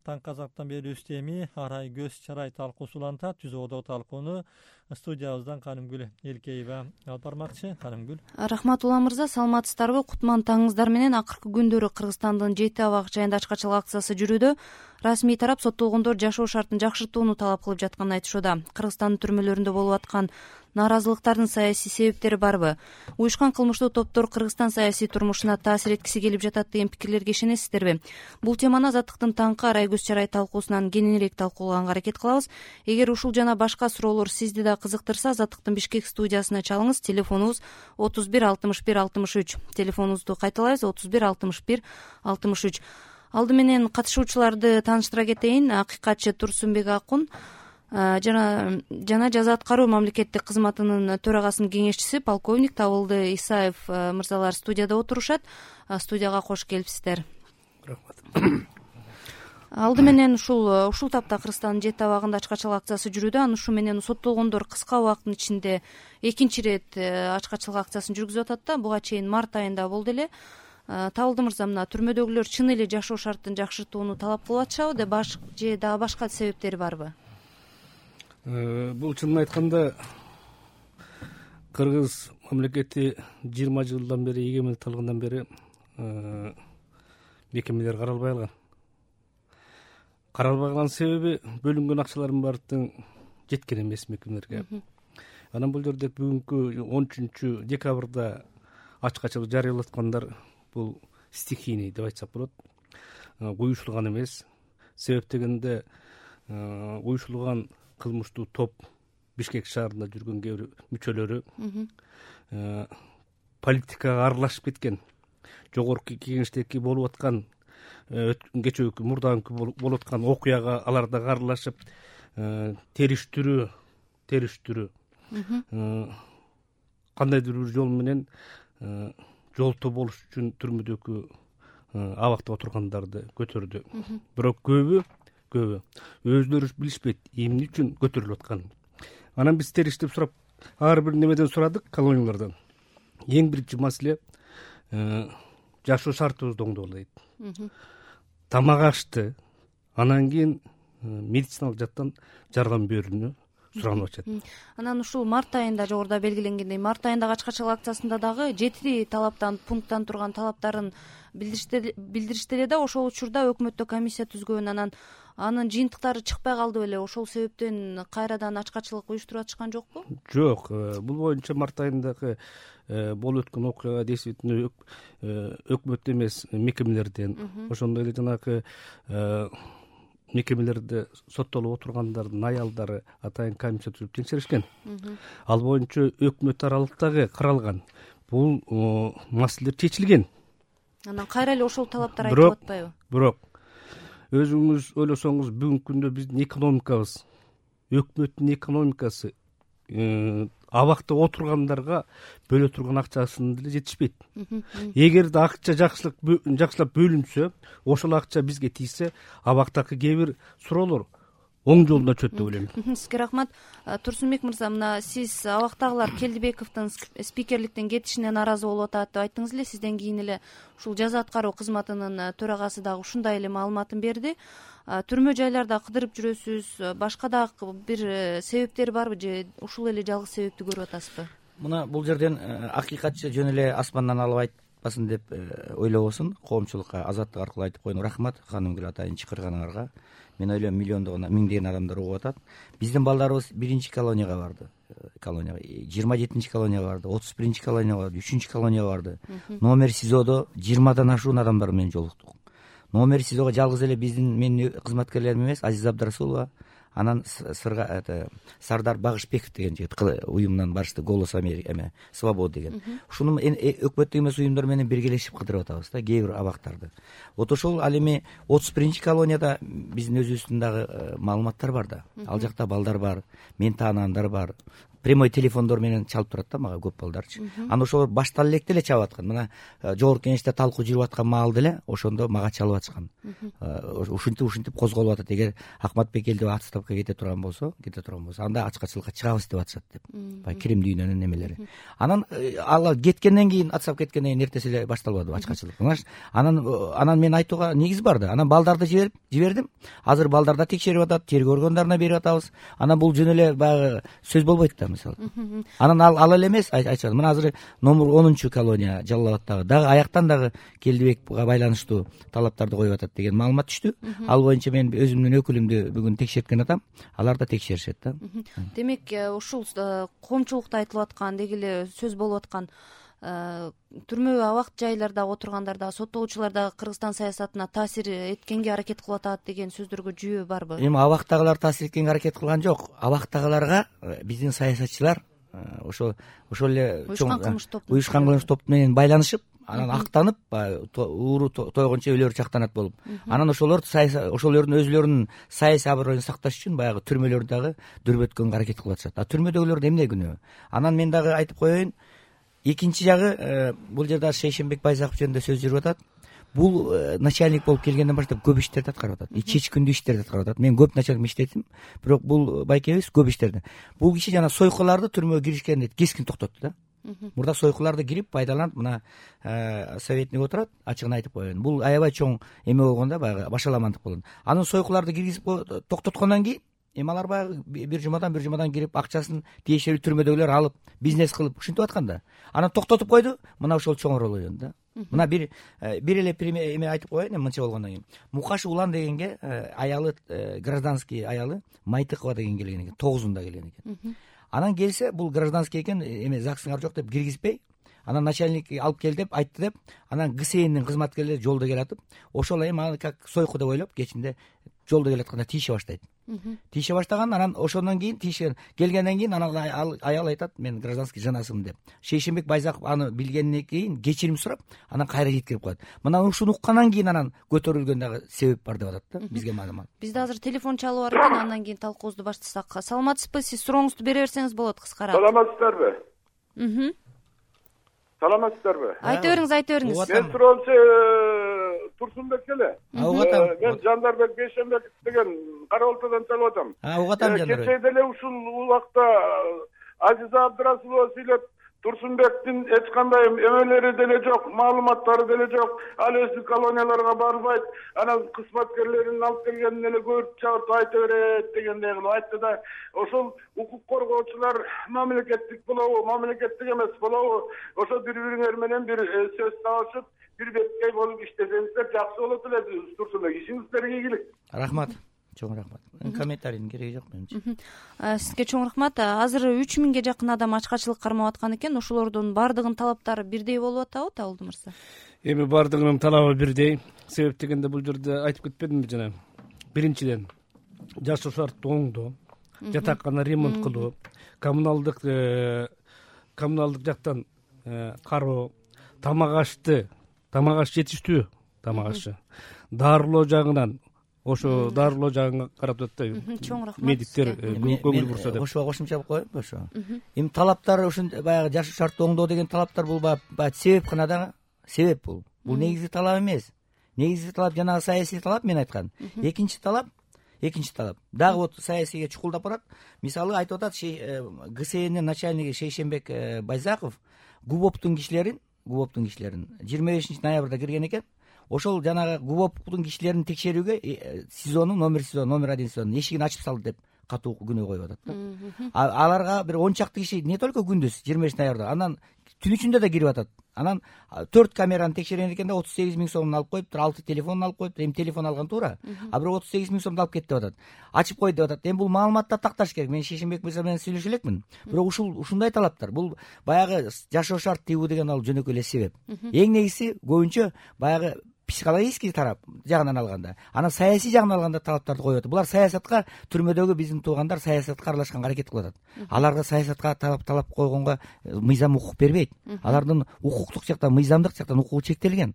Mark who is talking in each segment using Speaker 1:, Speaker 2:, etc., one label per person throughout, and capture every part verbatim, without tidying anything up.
Speaker 1: таң казактан бери үстеми арай көз чарай талкуусу улантат. Түзүүдө талкууну студиябыздан Канымгүл Элкеева алып бармакчы. Канымгүл.
Speaker 2: Рахматулла мырза, саламатсыздарбы? Кутман таңыңыздар менен. Акыркы күндөрү Кыргызстандын жети абак жайында ачкачылык акциясы жүрүүдө. Расмий тарап соттолгондор жашоо шартын жакшыртууну талап кылып жатканын айтышууда. Кыргызстандын түрмөлөрүндө болуп аткан нааразылыктардын саясий себептери барбы? Уюшкан кылмыштуу топтор Кыргызстан саясий турмушуна таасир эткиси келип жатат деген пикирлерге ишенесиздерби? Бул теманы Азаттыктын таңкы арай көз чарай талкуусунан кененирээк талкуулаганга аракет кылабыз. Эгер ушул жана башка суроолор сизди да кызыктырса, Азаттыктын Бишкек студиясына чалыңыз. Телефонубуз отуз бир алтымыш бир алтымыш үч. Телефонубузду кайталайбыз: отуз бир алтымыш бир алтымыш үч. Алды менен катышуучуларды тааныштыра кетейин. Акыйкатчы Турсунбек Акун жана жана жаза аткаруу мамлекеттик кызматынын төрагасынын кеңешчиси полковник Табылды Исаев мырзалар студияда отурушат. Студияга кош келипсиздер.
Speaker 3: Рахмат.
Speaker 2: Алды менен ушул ушул тапта Кыргызстандын жети абагында ачкачылык акциясы жүрүүдө. Аны ушу менен соттолгондор кыска убакыттын ичинде экинчи ирет ачкачылык акциясын жүргүзүп атат да. Буга чейин март айында болду эле. Табылды мырза, мына түрмөдөгүлөр чын эле жашоо шартын жакшыртууну талап кылып атышабы, же дагы башка себептери барбы?
Speaker 3: Бул чынын айтканда Кыргыз мамлекети жыйырма жылдан бери, эгемендик алгандан бери мекемелер каралбай калган. Каралбай калган себеби бөлүнгөн акчалардын баардыгы жеткен эмес мекемелерге. Анан бул жерде бүгүнкү он үчүнчү декабрда ачкачылык жарыялап аткандар бул стихийный деп айтсак болот. Уюшулган эмес. Себеп дегенде уюшулган кылмыштуу топ Бишкек шаарында жүргөн кээ бир мүчөлөрү политикага аралашып кеткен. Жогорку кеңештеги болуп аткан кечээки мурдагы болуп аткан окуяга алар дагы аралашып, териштирүү териштирүү кандайдыр бир жол менен жолтоо болуш үчүн түрмөдөгү абакта отургандарды көтөрдү. Бирок көбү көбү өзүлөрү билишпейт эмне үчүн көтөрүлүп атканын. Анан биз териштип сурап, ар бир немеден сурадык, колониялардан. Эң биринчи маселе жашоо шартыбызды оңдогула дейт. Тамак ашты, анан кийин медициналык жактан жардам берүүнү суранып атышат.
Speaker 2: Анан ушул март айында жогоруда белгиленгендей, март айындагы ачкачылык акциясында дагы жети талаптан пункттан турган талаптарын билдиришти эле да. Ошол учурда өкмөттө комиссия түзгөн, анан анын жыйынтыктары чыкпай калды беле. Ошол себептен кайрадан ачкачылык уюштуруп атышкан жокпу?
Speaker 3: Жок, бул боюнча март айындагы болуп өткөн окуяга действительно өкмөт эмес мекемелерден, ошондой эле жанагы мекемелерде соттолуп отургандардын аялдары атайын комиссия түзүп текшеришкен. Ал боюнча өкмөт аралыктагы каралган бул маселелер чечилген.
Speaker 2: Анан кайра эле ошол талаптар айтылып атпайбы?
Speaker 3: Бирок өзүңүз ойлосоңуз, бүгүнкү күндө биздин экономикабыз, өкмөттүн экономикасы абакта отургандарга бөлө турган акчасын деле жетишпейт. Эгерде акча жакшылык жакшылап бөлүнсө, ошол акча бизге тийсе, абактагы кээ бир суроолор оң жолуна чөт деп ойлойм.
Speaker 2: Сизге рахмат. Турсунбек мырза, мына сиз абактагылар Келдибековдун спикерликтен кетишине нааразы болуп атат деп айттыңыз эле. Сизден кийин эле ушул жаза аткаруу кызматынын төрагасы дагы ушундай эле маалыматын берди. Түрмө жайларда кыдырып жүрөсүз, башка дагы бир себептери барбы, же ушул эле жалгыз себепти көрүп атасызбы?
Speaker 4: Мына бул жерден акыйкатчы жөн эле асмандан алып айтпасын деп ойлобосун. Коомчулукка азаттык аркылуу айтып коеюн. Рахмат Канымгүл атайын чакырганыңарга. Мен ойлойм миллиондогон, миңдеген адамдар угуп атат. Биздин балдарыбыз биринчи колонияга барды. Колонияга жыйырма жетинчи колонияга барды, отуз биринчи колонияга барды, үчүнчү колонияга барды. Номер СИЗОдо жыйырмадан ашуун адамдар менен жолуктук. Номер СИЗОго жалгыз эле биздин менин кызматкерлерим эмес, Азиза Абдрасулова, анан Сырга Сардар Багышбеков деген жигит уюмунан барышты, Голос Америка эме, Свобода деген. Ушуну өкмөттүк эмес уюмдар менен биргелешип кыдырып атабыз да, кээ бир абактарды. Вот ошол ал эми отуз биринчи колонияда биздин өзүбүздүн дагы маалыматтар бар да. Ал жакта балдар бар, мен таанагандар бар, прямой телефондор менен чалып турат да мага көп балдарчы. Анан ошолор баштан электе эле чалып аткан. Мына жогорку кеңеште талкуу жүрүп аткан маалда эле ошондо мага чалып атышкан. Ушинтип ушинтип козголуп атат. Эгер Акматбек элдеп отставкага кете турган болсо, кете турган болсо, анда ачкачылыкка чыгабыз деп атышат деп. Баягы кирим дүйнөнүн немелери. Анан ал кеткенден кийин, отставкага кеткенден кийин эртеси эле башталбады ачкачылык. Анан анан мен айтууга негиз бар да. Анан балдарды жиберип жибердим. Азыр балдарда текшерип атат, тергөө органдарына берип атабыз. Анан бул жөн эле баягы сөз болбойт да мисалы. Анан ал ал эле эмес, айтышат. Мына азыр номер онунчу колония Жалал Абадтагы дагы аяктан дагы Келдибекке байланыштуу талаптарды коюп атат деген маалымат түштү. Ал боюнча мен өзүмдүн өкүлүмдү бүгүн текшерткен атам. Алар да текшеришет да.
Speaker 2: Демек, ушул коомчулукта айтылып аткан, деги эле сөз болуп аткан түрмө абак жайларда отургандарда, соттолуучулар дагы Кыргызстан саясатына таасир эткенге аракет кылып атат деген сөздөргө жүйө барбы?
Speaker 4: Эми абактагылар таасир эткенге аракет кылган жок. Абактагыларга биздин саясатчылар ошо ошол эле
Speaker 2: уюшкан кылмыш топ
Speaker 4: уюшкан кылмыш топ менен байланышып, анан актанып, ууру тойгончо өлөр чактанат болуп, анан ошолор ошолордун өзүлөрүнүн саясий аброюн сакташ үчүн баягы түрмөлөрдү дагы дүрбөткөнгө аракет кылып атышат. А түрмөдөгүлөрдүн эмне күнөө? Анан мен дагы айтып коеюн, экинчи жагы, бул жерде Шейшенбек Байзаков жөнүндө сөз жүрүп атат. Бул начальник болуп келгенден баштап көп иштерди аткарып атат. Чечкиндүү иштерди аткарып атат. Мен көп начальник иштедим, бирок бул байкебиз көп иштерди. Бул киши жана сойкуларды түрмөгө киришкенде кескин токтотту да. Мурда сойкуларды кирип пайдаланып, мына советник отурат, ачыгын айтып коеюн. Бул аябай чоң эме болгондо баягы башаламандык болгон. Анын сойкуларды киргизип токтоткондон кийин эми алар баягы бир жумадан бир жумадан кирип акчасын тиешелүү түрмөдөгүлөр алып, бизнес кылып ушинтип аткан да. Анан токтотуп койду, мына ошол чоңуроолойон да. Мына бир бир эле эме айтып коеюн, эми мынча болгондон кийин. Мукаш Улан дегенге аялы, гражданский аялы Майтыкова деген келген экен, тогузунда келген экен. Анан келсе, бул гражданский экен, эме ЗАГСыңар жок деп киргизбей, анан начальник алып кел деп айтты деп, анан ГСНдин кызматкерлери жолдо келатып, ошол эми аны как сойку деп ойлоп, кечинде жолдо келатканда тийише баштайт. Тийише баштаган, анан ошондон кийин тийишкен келгенден кийин анан аял айтат, мен гражданский жанасымын деп. Шейшенбек Байзаков аны билгенден кийин кечирим сурап, анан кайра жеткирип коет. Мына ушуну уккандан кийин анан көтөрүлгөн дагы себеп бар деп атат да, бизге маалымат.
Speaker 2: Бизде азыр телефон чалуу бар экен, андан кийин талкуубузду баштасак. Саламатсызбы? Сиз сурооңузду бере берсеңиз болот кыскараак.
Speaker 5: Саламатсыздарбы?
Speaker 2: Мм.
Speaker 5: Саламатсыздарбы?
Speaker 2: Айта бериңиз, айта бериңиз.
Speaker 5: Мен суроомчу Турсунбек эле.
Speaker 4: Угатам.
Speaker 5: Мен Жандарбек Бейшенбеков деген Кара Алтайдан чалып атам.
Speaker 4: Угатам Жандарбек.
Speaker 5: Кечээ деле ушул убакта Азиза Абдрасулова сүйлөп, Турсунбектин эч кандай эмелери деле жок, маалыматтары деле жок. Ал өзү колонияларга барбайт, анан кызматкерлерин алып келгенин эле көрүп чыгып айта берет дегендей кылып айтты да. Ошол укук коргоочулар мамлекеттик болобу, мамлекеттик эмес болобу, ошо бири-бириңер менен бир сөз табышып, бир беткей болуп иштесеңиздер жакшы болот эле. Турсунбек, ишиңиздерге ийгилик.
Speaker 4: Рахмат. Чоң рахмат. Комментарийдин кереги жок менимче.
Speaker 2: Сизге чоң рахмат. Азыр үч миңге жакын адам ачкачылык кармап аткан экен. Ошолордун баардыгынын талаптары бирдей болуп атабы, Табылды мырза?
Speaker 3: Эми баардыгынын талабы бирдей. Себеп дегенде бул жерде айтып кетпедимби жана? Биринчиден, жашоо шарттуу оңдоо, жатакана ремонт кылуу, коммуналдык коммуналдык жактан кароо, тамак ашты, тамак аш жетиштүү, тамак ашы. Дарылоо жагынан ошо дарылоо жагына карап атат да.
Speaker 2: Чоң рахмат.
Speaker 3: Медиктер көңүл бурса деп.
Speaker 4: Ошого кошумча коеюнбу ошо? Эми талаптар ушун баягы жашоо шарттуу оңдоо деген талаптар бул баягы себеп гана да, себеп бул. Бул негизги талап эмес. Негизги талап жанагы саясий талап мен айткан. Экинчи талап, экинчи талап. Дагы вот саясийге чукулдап барат. Мисалы айтып атат, ГСНдин начальниги Шейшенбек Байзаков ГУБОПтун кишилерин, ГУБОПтун кишилерин жыйырма бешинчи ноябрда кирген экен. Ошол жанагы ГУБОПтун кишилерин текшерүүгө СИЗОнун номер СИЗО номер один СИЗОнун эшигин ачып салды деп катуу күнөө коюп атат да. Аларга бир он чакты киши не только күндүз жыйырма бешинчи ноябрда, анан түн ичинде да кирип атат. Анан төрт камераны текшерген экен да, отуз сегиз миң сомун алып коюптур, алты телефонун алып коюптур. Эми телефон алган туура, а бирок отуз сегиз миң сомду алып кетти деп атат. Ачып койду деп атат. Эми бул маалыматты такташ керек. Мен Шейшенбек мырза менен сүйлөшө элекмин. Бирок ушул ушундай талаптар, бул баягы жашоо шарт тийүү деген ал жөнөкөй эле себеп. Эң негизи көбүнчө баягы психологический тарап жагынан алганда, анан саясий жагынан алганда талаптарды коюп атат. Булар саясатка, түрмөдөгү биздин туугандар саясатка аралашканга аракет кылып атат. Аларга саясатка талап талап койгонго мыйзам укук бербейт. Алардын укуктук жактан, мыйзамдык жактан укугу чектелген.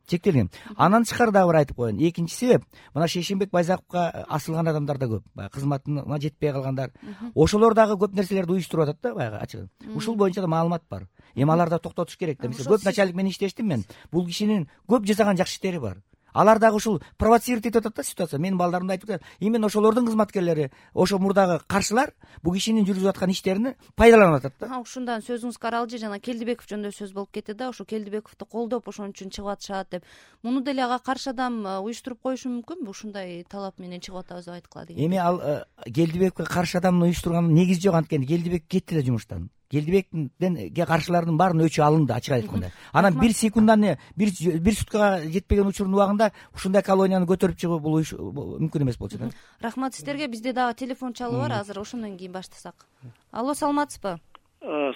Speaker 4: Чектелген. Анан тышкары дагы бир айтып коеюн. Экинчи себеп, мына Шейшенбек Байзаковго асылган адамдар да көп. Баягы кызматына жетпей калгандар. Ошолор дагы көп нерселерди уюштуруп атат да, баягы ачыгы. Ушул боюнча да маалымат бар. Эми аларды токтотуш керек да. Мисалы көп начальник менен иштештим мен. Бул кишинин көп жасаган жакшы иштери бар. Алар дагы ушул провоцировать этип атат да ситуация. Менин балдарымда айтып атат. Именно ошолордун кызматкерлери, ошо мурдагы каршылар бул кишинин жүргүзүп аткан иштерин пайдаланып атат да.
Speaker 2: Ушундан сөзүңүз каралжы, жана Келдибеков жөнүндө сөз болуп кетти да, ошо Келдибековду колдоп ошон үчүн чыгып атышат деп. Муну деле ага каршы адам уюштуруп коюшу мүмкүнбү? Ушундай талап менен чыгып атабыз деп айткыла деген.
Speaker 4: Эми ал Келдибековго каршы адамды уюштурганын негизи жок, анткени Келдибек кетти да жумуштан. Келдибектен каршылардын баарынын өчү алынды, ачык айтканда. Анан бир секунданын бир бир суткага жетпеген учурдун убагында ушундай колонияны көтөрүп чыгуу бул мүмкүн эмес болчу да.
Speaker 2: Рахмат сиздерге. Бизде дагы телефон чалуу бар, азыр ошондон кийин баштасак. Алло, саламатсызбы?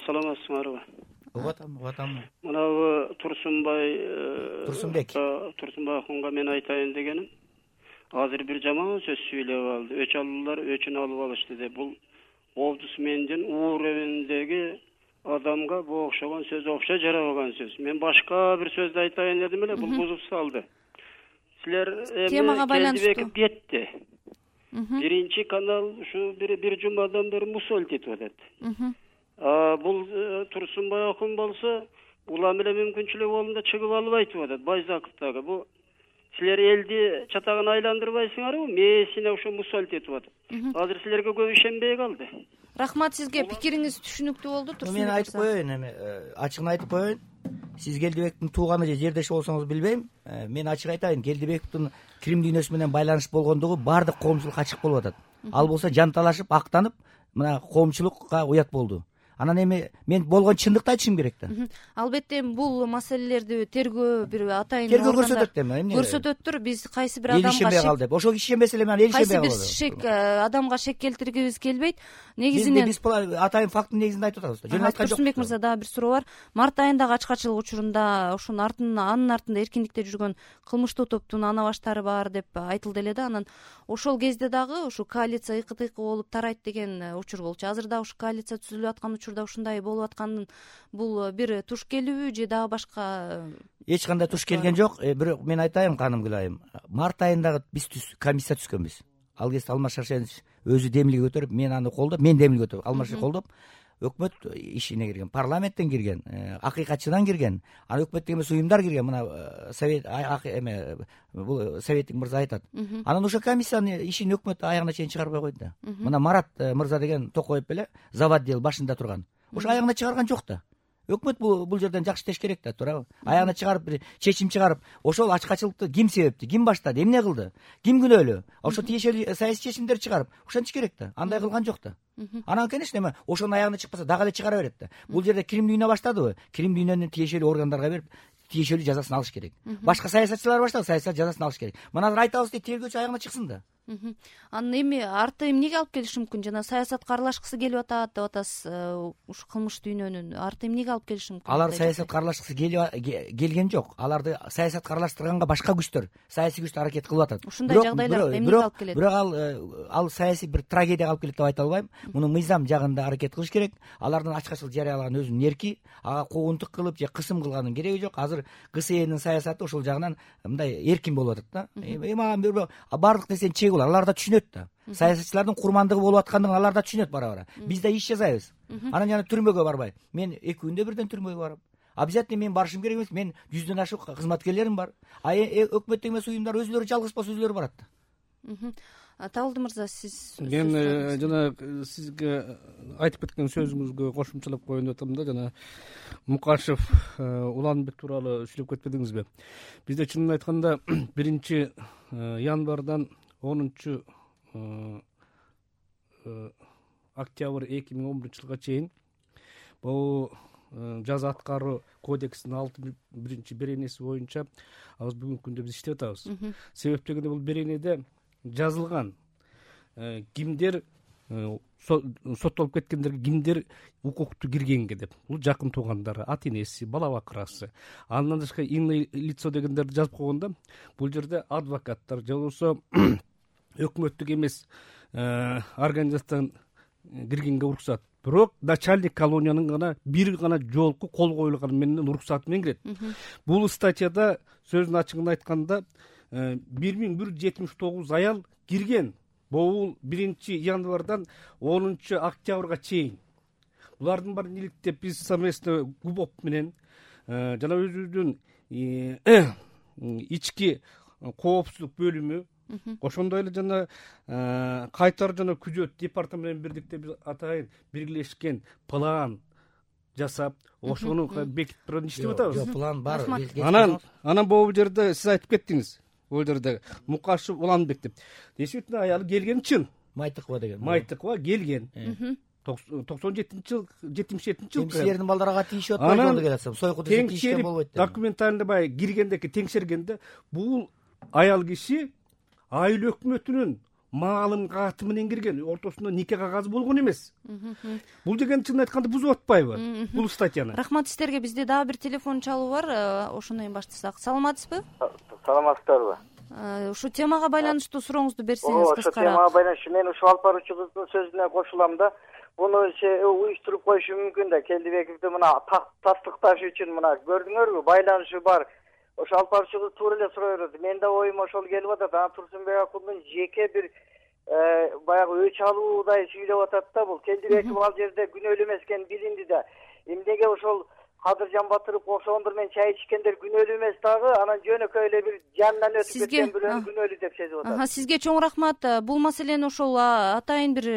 Speaker 6: Саламатсыңарбы?
Speaker 4: Угуп атам, угуп атам.
Speaker 6: Мынабы Турсунбай
Speaker 4: Турсунбек.
Speaker 6: Турсунбай акунга мен айтайын дегеним, азыр бир жаман сөз сүйлөп алды. Өч алуулар өчүн алып алышты деп. Бул Олдусмендин ууребиндеги адамга бу окшогон сөз окшо жарабаган сөз. Мен башка бир сөздү айтайын дедим эле, бул бузуп салды. Силер
Speaker 2: темага байланыштуу
Speaker 6: кетти. Биринчи канал ушу бир бир жумадан бери мусоль этип атат. Бул Турсунбай акун болсо, улам эле мүмкүнчүлүк болунда чыгып алып айтып атат. Байзаковдагы бу силер элди чатагын айландырбайсыңарбы? Месине ошо мусоль этип атат. Азыр силерге көп ишенбей калды.
Speaker 2: Рахмат сизге, пикириңиз түшүнүктүү болду. Турсунбек
Speaker 4: мен айтып коеюн, эми ачыгын айтып коеюн. Сиз Келдибектин тууганы же жердеши болсоңуз билбейм. Мен ачык айтайын, Келдибектин Крим дүйнөсү менен байланыш болгондугу баардык коомчулукка ачык болуп атат. Ал болсо жанталашып, актанып, мына коомчулукка уят болду. Анан эми мен болгон чындыкты айтышым керек да.
Speaker 2: Албетте бул маселелерди тергөө бир атайын
Speaker 4: тергөө көрсөтөт эми. Эмне
Speaker 2: көрсөтөттүр? Биз кайсы бир адамга
Speaker 4: ишенбей кал деп. Ошого ишенбесе эле мен эл ишенбей калды.
Speaker 2: Кайсы бир шек адамга шек келтиргибиз келбейт. Негизинен
Speaker 4: биз атайын факттын негизинде айтып атабыз да. Жөн айткан жок.
Speaker 2: Турсунбек мырза, дагы бир суроо бар. Март айындагы ачкачылык учурунда ошонун артында, анын артында эркиндикте жүргөн кылмыштуу топтун ана баштары бар деп айтылды эле да. Анан ошол кезде дагы ушу коалиция ыкы-тыкы болуп тарайт деген учур болчу. Азыр да ушу коалиция түзүлүп аткан учурда ушундай болуп атканын бул бир туш келүүбү же дагы башка?
Speaker 4: Эч кандай туш келген жок. Бирок мен айтайын, Каным Гүлайым, март айындагы биз комиссия түзгөнбүз. Ал кезде Алмаз Шаршенович өзү демилге көтөрүп, мен аны колдоп, мен демилге көтөрүп, Алмаз колдоп, өкмөт ишине кирген, парламенттен кирген, акыйкатчыдан кирген, аны өкмөттүк эмес уюмдар кирген. Мына совет эме бул советтик мырза айтат. Анан ошо комиссиянын ишин өкмөт аягына чейин чыгарбай койду да. Мына Марат мырза деген Токоев беле завод дел башында турган. Ошо аягына чыгарган жок да. Өкмөт бул бул жерден жакшы иштеш керек да, туурабы? Аягына чыгарып, бир чечим чыгарып, ошол ачкачылыкты ким себептүү, ким баштады, эмне кылды, ким күнөөлүү, ошо тиешелүү саясий чечимдер чыгарып, ошентиш керек да. Андай кылган жок да. Анан, конечно, эми ошонун аягына чыкпаса дагы эле чыгара берет да. Бул жерде Крим дүйнө баштадыбы? Крим дүйнөнү тиешелүү органдарга берип, тиешелүү жазасын алыш керек. Башка саясатчылар баштады, саясат жазасын алыш керек. Мына азыр айтабыз дейт, тергөөчү аягына чыксын да.
Speaker 2: Анан эми арты эмнеге алып келиши мүмкүн? Жана саясатка аралашкысы келип атат деп атасыз. Ушу кылмыш дүйнөнүн арты эмнеге алып келиши мүмкүн?
Speaker 4: Алар саясатка аралашкысы келген жок. Аларды саясатка аралаштырганга башка күчтөр, саясий күчтөр аракет кылып атат.
Speaker 2: Ушундай жагдайлар эмнеге алып келет?
Speaker 4: Бирок ал ал саясий бир трагедияга алып келет деп айта албайм. Муну мыйзам жагында аракет кылыш керек. Алардын ачкачылык жарыялаган өзүнүн эрки, ага куугунтук кылып же кысым кылганын кереги жок. Азыр ГСЭнин саясаты ошол жагынан мындай эркин болуп атат да. Эми баардык нерсенин чеги бар. Алар да түшүнөт да. Саясатчылардын курмандыгы болуп аткандыгын алар да түшүнөт бара-бара. Биз да иш жасайбыз. Анан жана түрмөгө барбай. Мен эки күндө бирден түрмөгө барам. Обязательно мен барышым керек эмес. Мен жүздөн ашык кызматкерлерим бар. А өкмөттүк эмес уюмдар өзүлөрү жалгыз болсо өзүлөрү барат да.
Speaker 2: Табылды мырза, сиз
Speaker 3: мен жана сизге айтып кеткен сөзүңүзгө кошумчалап коеюн деп атам да. Жана Мукашев Уланбек тууралуу сүйлөп кетпедиңизби? Бизде чынын айтканда биринчи январдан онунчу октябрь эки миң он биринчи жылга чейин бул жаза аткаруу кодексинин алтымыш биринчи беренеси боюнча азыр бүгүнкү күндө биз иштеп атабыз. Себеп дегенде бул беренеде жазылган кимдер соттолуп кеткендерге кимдер укуктуу киргенге деп, бул жакын туугандары, ата энеси, бала бакырасы. Андан тышкары иное лицо дегендерди жазып койгондо бул жерде адвокаттар же болбосо өкмөттүк эмес организациядан киргенге уруксат. Бирок начальник колониянын гана бир гана жолку кол коюлганы менен уруксаты менен кирет. Бул статьяда сөздүн ачыгын айтканда бир миң бир жүз жетимиш тогуз аял кирген. Бул биринчи январдан онунчу октябрга чейин. Булардын баарын иликтеп биз совместно ГУБОП менен жана өзүбүздүн ички коопсуздук бөлүмү, ошондой эле жана кайтаруу жана күзөт департаменти менен бирдикте биз атайын биргелешкен план жасап, ошону бекитип турган иштеп атабыз.
Speaker 4: Жок, план бар.
Speaker 3: Анан анан бул жерде сиз айтып кеттиңиз. Бул жерде Мукашев Уланбек деп. Действительно аялы келген чын.
Speaker 4: Майтыкова деген.
Speaker 3: Майтыкова келген. токсон жетинчи жыл, жетимиш жетинчи жыл.
Speaker 4: Теңшердин балдарга тийишип атпайт болду деп атсам. Сойку десе тийишкен болбойт деп.
Speaker 3: Документально бай киргендеки теңшергенде бул аял киши айыл өкмөтүнүн маалын каты менен кирген, ортосунда нике кагазы болгон эмес. Бул деген чын айтканда бузуп атпайбы бул статьяны?
Speaker 2: Рахмат сиздерге. Бизде дагы бир телефон чалуу бар. Ошону менен баштасак. Саламатсызбы?
Speaker 7: Саламатсыздарбы?
Speaker 2: Ушу темага байланыштуу сурооңузду берсеңиз кыскара.
Speaker 7: Ошо темага байланыштуу мен ушул алып баруучубуздун сөзүнө кошулам да. Буну уюштуруп коюшу мүмкүн да. Келдибековду мына тастыкташ үчүн мына көрдүңөрбү? Байланышы бар. Ошо алып баруучубуз туура эле сурай берди. Мен да оюм ошол келип атат. Ана Турсунбек акундун жеке бир баягы өч алуудай сүйлөп атат да. Бул Келдибеков ал жерде күнөөлүү эмес экени билинди да. Эмнеге ошол Кадыржан Батыров ошондор менен чай ичкендер күнөөлүү эмес дагы, анан жөнөкөй эле бир жанынан өтүп кеткен бирөө күнөөлүү деп сезип атат.
Speaker 2: Сизге чоң рахмат. Бул маселени ошол атайын бир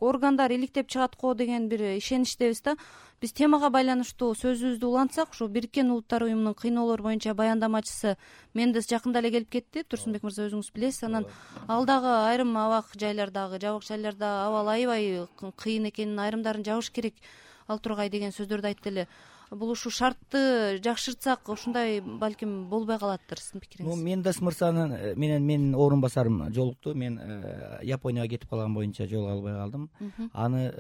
Speaker 2: органдар иликтеп чыгат го деген бир ишеничтебиз да. Биз темага байланыштуу сөзүбүздү улантсак, ушу Бириккен Улуттар уюмунун кыйноолор боюнча баяндамачысы Мендес жакында эле келип кетти. Турсунбек мырза өзүңүз билесиз. Анан ал дагы айрым абак жайлардагы, жабык жайларда абал аябай кыйын экенин, айрымдарын жабыш керек ал тургай деген сөздөрдү айтты эле. Бул ушу шартты жакшыртсак ушундай балким болбой калаттыр. Сиздин пикириңиз?
Speaker 4: Мендес мырзанын менен менин орун басарым жолукту. Мен Японияга кетип калган боюнча жолуга албай калдым. Аны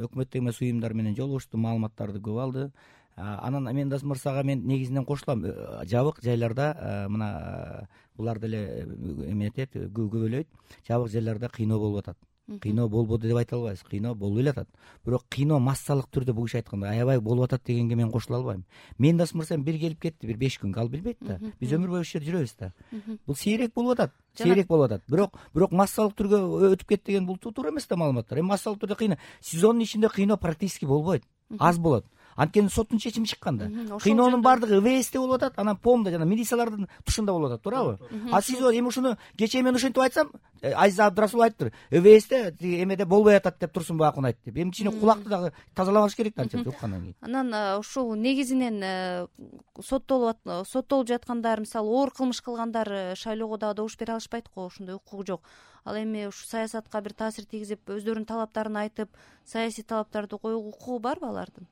Speaker 4: өкмөттүк эмес уюмдар менен жолугушту, маалыматтарды көп алды. Анан Мендес мырзага мен негизинен кошулам. Жабык жайларда мына булар деле эметет, көбөлөйт. Жабык жайларда кыйноо болуп атат. Кыйноо болбоду деп айта албайбыз. Кыйноо болуп эле атат. Бирок кыйноо массалык түрдө бул киши айткандай аябай болуп атат дегенге мен кошула албайм. Мендес мырза бир келип кетти, бир беш күнгө, ал билбейт да. Биз өмүр бою ушул жерде жүрөбүз да. Бул сейрек болуп атат. Сейрек болуп атат. Бирок бирок массалык түргө өтүп кетти деген бул туура эмес да маалыматтар. Эми массалык түрдө кыйноо сезондун ичинде кыйноо практически болбойт. Аз болот. Анткени соттун чечими чыккан да. Кыйноонун баардыгы ЭВСте болуп атат, анан помда жана милициялардын тушунда болуп атат, туурабы? А сиз эми ушуну кечээ мен ушинтип айтсам, Азиза Абдрасул айттыр. ЭВСте эмеде болбой атат деп Турсунбек акун айтты. Эми кичине кулакты дагы тазаламаш керек да анча уккандан кийин.
Speaker 2: Анан ушул негизинен соттолуп соттолуп жаткандар, мисалы, оор кылмыш кылгандар шайлоого дагы добуш бере алышпайт го, ошондой укугу жок. Ал эми ушу саясатка бир таасир тийгизип, өздөрүнүн талаптарын айтып, саясий талаптарды коюуга укугу барбы алардын?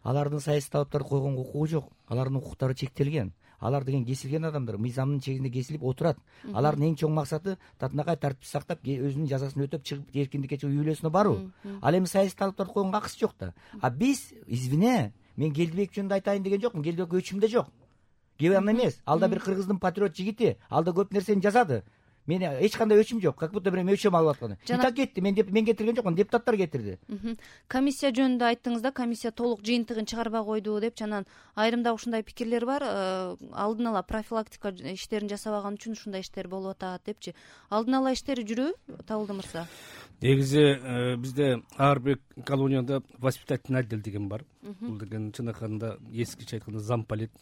Speaker 4: Алардын саясий талаптарды койгонго укугу жок. Алардын укуктары чектелген. Алар деген кесилген адамдар, мыйзамдын чегинде кесилип отурат. Алардын эң чоң максаты татынакай тартипти сактап, өзүнүн жазасын өтөп чыгып эркиндикке чыгып үй бүлөсүнө баруу. Ал эми саясий талаптарды койгонго акысы жок да. А биз, извине, мен Келдибек жөнүндө айтайын деген жокмун. Келдибек өчүм да жок. Кеп аны эмес. Ал да бир кыргыздын патриот жигити. Ал да көп нерсени жазады. Мен эч кандай өчүм жок. Как будто бир өчөм алып атканы. И так кетти. Мен деп мен кетирген жокмун, депутаттар кетирди.
Speaker 2: Комиссия жөнүндө айттыңыз да, комиссия толук жыйынтыгын чыгарбай койду деп, анан айрымда ушундай пикирлер бар. Алдын ала профилактика иштерин жасабаган үчүн ушундай иштер болуп атат депчи. Алдын ала иштери жүрүбү, Табылды мырза?
Speaker 3: Негизи бизде ар бир колонияда воспитательный отдел деген бар. Бул деген чын айтканда эскиче айтканда замполит.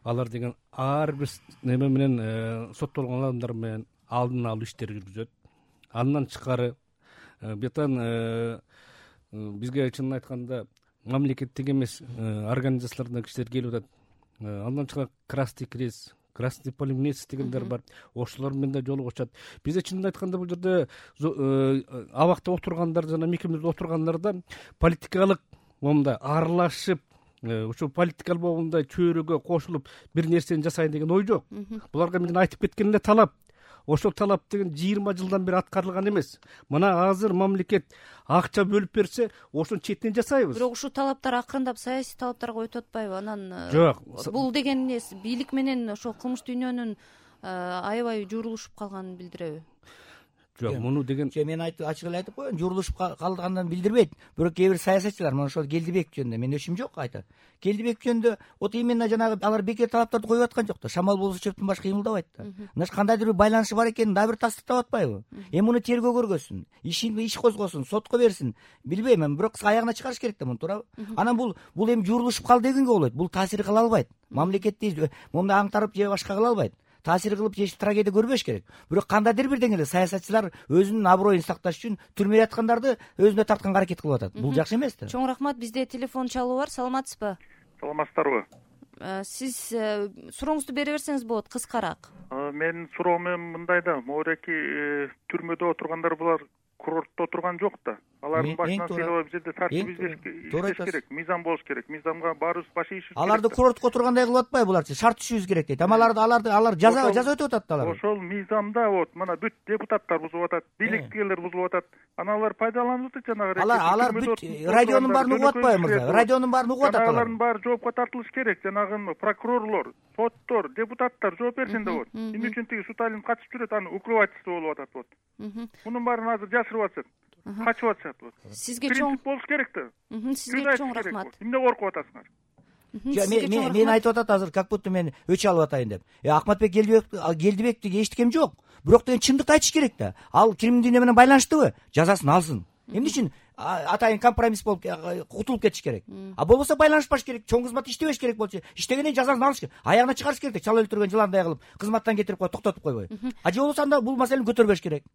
Speaker 3: Алар деген ар бир неме менен соттолгон адамдар менен алдын алуу иштери жүргүзөт. Андан тышкары бетан бизге чынын айтканда мамлекеттик эмес организациялардан кишилер келип атат. Андан тышкары Красный Крест, Красный полумесяц дегендер бар. Ошолор менен да жолугушат. Бизде чынын айтканда бул жерде абакта отургандар жана мекемеде отургандарда политикалык момундай аралашып, ошо политикалык момундай чөйрөгө кошулуп бир нерсени жасайын деген ой жок. Буларга мен айтып кеткен эле талап ошол талап деген жыйырма жылдан бери аткарылган эмес. Мына азыр мамлекет акча бөлүп берсе, ошонун четинен жасайбыз.
Speaker 2: Бирок ушул талаптар акырындап саясий талаптарга өтүп атпайбы? Анан
Speaker 3: жок,
Speaker 2: бул деген эмне, бийлик менен ошол кылмыш дүйнөнүн аябай журулушуп калганын билдиреби?
Speaker 3: Жок, муну деген
Speaker 4: мен айтып ачык эле айтып коеюн, журулушуп калганын билдирбейт. Бирок кээ бир саясатчылар, мына ошол Келдибеков жөнүндө менин өчүм жок айтат. Келдибеков жөнүндө вот именно жанагы алар бекер талаптарды коюп аткан жок да. Шамал болсо чөптөн баш кыймылдабайт да. Мына кандайдыр бир байланышы бар экенин дагы бир тастыктап атпайбы? Эми муну тергөө көргөзсүн, ишин иш козгосун, сотко берсин. Билбейм, эми бирок аягына чыгарыш керек да муну, туурабы? Анан бул бул эми журулушуп калды дегенге болбойт. Бул таасир кыла албайт. Мамлекетти момундай аңтарып же башка кыла албайт. Таасир кылып же трагедия көрбөш керек. Бирок кандайдыр бир деңгээлде саясатчылар өзүнүн аброюн сакташ үчүн түрмөгө яткандарды өзүнө тартканга аракет кылып атат. Бул жакшы эмес да.
Speaker 2: Чоң рахмат. Бизде телефон чалуу бар. Саламатсызбы?
Speaker 8: Саламатсыздарбы?
Speaker 2: Сиз сурооңузду бере берсеңиз болот, кыскараак.
Speaker 8: Менин суроом эми мындай да, могуреки түрмөдө отургандар булар курортто отурган жок да. Алардын башынан сыйлап бул жерде тартип иштеш керек, мыйзам болуш керек. Мыйзамга баарыбыз баш ийишибиз керек.
Speaker 4: Аларды курортко отургандай кылып атпайбы буларчы? Шарт түшүбүз керек дейт. Ама аларды аларды алар жаза жаза өтүп атат да алар.
Speaker 8: Ошол мыйзамда вот мына бүт депутаттар бузуп атат, бийликтегилер бузуп атат. Анан алар пайдаланып атат жанагы.
Speaker 4: Алар алар бүт радионун баарын угуп атпайбы мырза? Радионун баарын угуп атат алар.
Speaker 8: Алардын баары жоопко тартылыш керек. Жанагы прокурорлор, соттор, депутаттар жооп берсин да вот. Эмне үчүн тиги Суталин катышып жүрөт, аны укрывательство болуп атат вот. Мунун баарын азыр жашырып атышат. Качып атышат вот.
Speaker 2: Сизге чоң
Speaker 8: болуш керек да.
Speaker 2: Сизге чоң рахмат.
Speaker 8: Эмне коркуп атасыңар?
Speaker 4: Мен мен айтып атат азыр, как будто мен өч алып атайын деп. Э Акматбек Келдибековди эчтикем жок. Бирок деген чындыкты айтыш керек да. Ал кримин дүйнө менен байланыштыбы? Жазасын алсын. Эмне үчүн атайын компромисс болуп кутулуп кетиш керек? А болбосо байланышпаш керек, чоң кызмат иштебеш керек болчу. Иштегенден жазасын алыш керек. Аягына чыгарыш керек, чала өлтүргөн жыландай кылып, кызматтан кетирип коюп, токтотуп койбой. А же болбосо анда бул маселени көтөрбөш керек.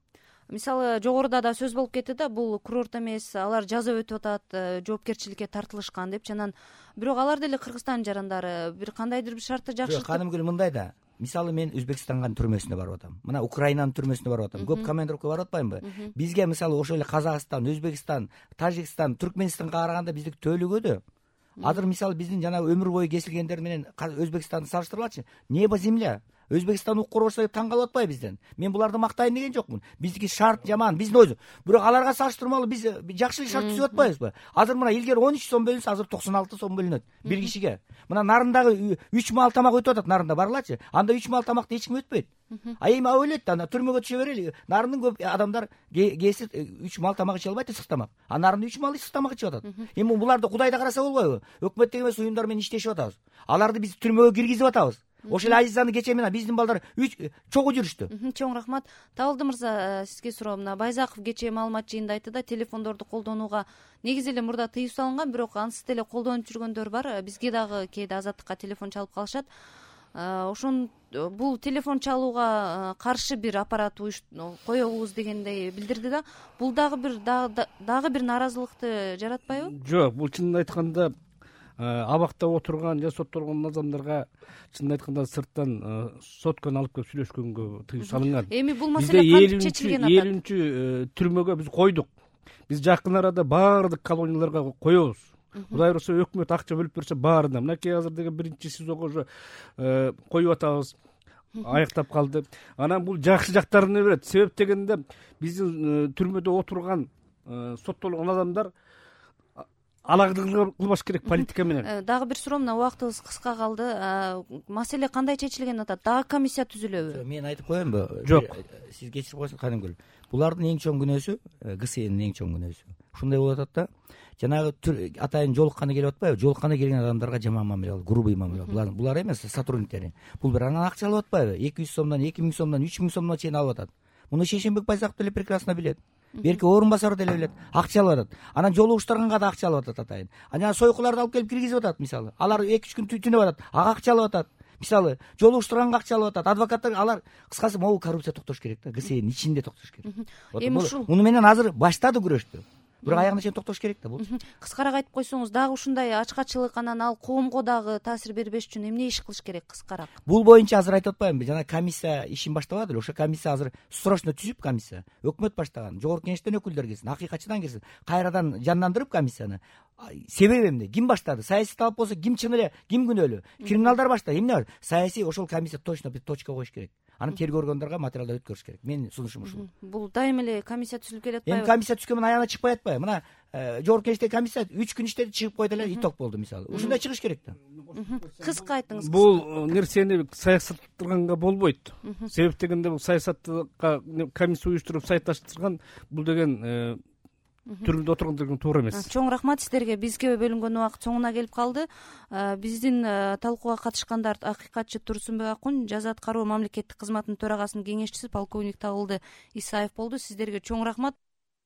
Speaker 2: Мисалы жогоруда да сөз болуп кетти да, бул курорт эмес, алар жаза өтүп атат, жоопкерчиликке тартылышкан деп. Анан бирок алар деле Кыргызстан жарандары, бир кандайдыр бир шартты жакшыртып.
Speaker 4: Канымгүл мындай да. Мисалы мен Өзбекстандын түрмөсүнө барып атам. Мына Украинанын түрмөсүнө барып атам. Көп командировка барып атпаймынбы? Бизге мисалы ошол эле Казакстан, Өзбекстан, Тажикстан, Түркменистанга караганда биздики төлөгөдө. Азыр мисалы биздин жана өмүр бою кесилгендер менен Өзбекстанды салыштыргылачы. Небо земля. Өзбекстан укур болсо таң калып атпайбы бизден? Мен буларды мактайын деген жокмун. Биздики шарт жаман, биздин өзү. Бирок аларга салыштырмалуу биз жакшы шарт түзүп атпайбызбы? Азыр мына илгери он үч сом бөлүнсө, азыр токсон алты сом бөлүнөт бир кишиге. Мына Нарындагы үч маал тамак өтүп атат, Нарында барылачы. Анда үч маал тамакты эч ким өтпөйт. А эми ойлойт да, түрмөгө түшө берели. Нарындын көп адамдар кээси үч маал тамак иче албайт, ысык тамак. А Нарында үч маал ысык тамак ичип атат. Эми буларды Кудай да караса болбойбу? Өкмөттүк эмес уюмдар менен иштешип атабыз. Аларды биз түрмөгө киргизип атабыз. Ошол эле Азизаны кечээ менен биздин балдар үч чогуу жүрүштү.
Speaker 2: Чоң рахмат. Табылды мырза, сизге суроо. Мына Байзаков кечээ маалымат жыйында айтты да, телефондорду колдонууга негизи эле мурда тыюу салынган, бирок ансыз деле колдонуп жүргөндөр бар. Бизге дагы кээде Азаттыкка телефон чалып калышат. Ошон бул телефон чалууга каршы бир аппарат коебуз дегендей билдирди да. Бул дагы бир дагы бир нааразылыкты жаратпайбы?
Speaker 3: Жок, бул чынын айтканда абакта отурган же соттолгон адамдарга чынын айтканда сырттан сотканы алып келип сүйлөшкөнгө тыюу салынган.
Speaker 2: Эми бул маселе кантип чечилген атат?
Speaker 3: элүүнчү түрмөгө биз койдук. Биз жакын арада баардык колонияларга коебуз. Кудай урса өкмөт акча бөлүп берсе баарына. Мынакей азыр деген биринчи СИЗОго уже коюп атабыз. Аяктап калды. Анан бул жакшы жактарына берет. Себеп дегенде биздин түрмөдө отурган соттолгон адамдар алагыдык кылбаш керек политика менен.
Speaker 2: Дагы бир суроо, мына убактыбыз кыска калды. Маселе кандай чечилген атат? Дагы комиссия түзүлөбү?
Speaker 4: Мен айтып коеюнбу?
Speaker 3: Жок.
Speaker 4: Сиз кечирип койсоңуз, Канымгүл. Булардын эң чоң күнөөсү ГСНдин эң чоң күнөөсү. Ушундай болуп атат да. Жанагы атайын жолукканы келип атпайбы? Жолукканы келген адамдарга жаман мамиле кылып, грубый мамиле кылып. Булар булар эмес, сотрудниктери. Бул бир анан акча алып атпайбы? эки жүз сомдон, эки миң сомдон, үч миң сомдон чейин алып атат. Муну Шейшенбек Байзаков деле прекрасно билет. Берки орун басары деле билет. Акча алып атат. Анан жолугуштарганга да акча алып атат атайын. Анан сойкуларды алып келип киргизип атат мисалы. Алар эки үч күн түнөп атат. Ага акча алып атат. Мисалы, жолугуштурганга акча алып атат. Адвокаттар алар кыскасы могу коррупция токтош керек да. ГСНдин ичинде токтош керек.
Speaker 2: Эми ушул
Speaker 4: муну менен азыр баштады күрөштү. Бирок аягына чейин токтош керек да бул.
Speaker 2: Кыскараак айтып койсоңуз, дагы ушундай ачкачылык, анан ал коомго дагы таасир бербеш үчүн эмне иш кылыш керек кыскараак?
Speaker 4: Бул боюнча азыр айтып атпаймынбы? Жана комиссия ишин баштабады эле. Ошо комиссия азыр срочно түзүп, комиссия өкмөт баштаган, жогорку кеңештен өкүлдөр келсин, акыйкатчыдан келсин, кайрадан жандандырып комиссияны. Себеби эмне? Ким баштады? Саясий талап болсо ким чын эле, ким күнөөлүү? Криминалдар баштады. Эмне бар? Саясий ошол комиссия точно бир точка коюш керек. аны тергөө органдарга материалдар өткөрүш керек. Менин сунушум ушул.
Speaker 2: Бул дайыма эле комиссия түзүлүп келет
Speaker 4: Эми
Speaker 2: атпайбы?
Speaker 4: комиссия түзгөн менен аягына чыкпай атпайбы? Мына жогорку кеңештеги комиссия үч күн иштеди, чыгып койду эле, иток болду мисалы. Ушундай чыгыш керек да.
Speaker 2: Кыска айтыңыз.
Speaker 3: Бул нерсени саясаттырганга болбойт. Себеп дегенде бул саясатка комиссия уюштуруп саясатташтырган бул деген түрмөдө отургандардын туура эмес.
Speaker 2: Чоң рахмат сиздерге. Бизге бөлүнгөн убакыт соңуна келип калды. Биздин талкууга катышкандар акыйкатчы Турсунбек Акун, жаза аткаруу мамлекеттик кызматынын төрагасынын кеңешчиси полковник Табылды Исаев болду. Сиздерге чоң рахмат.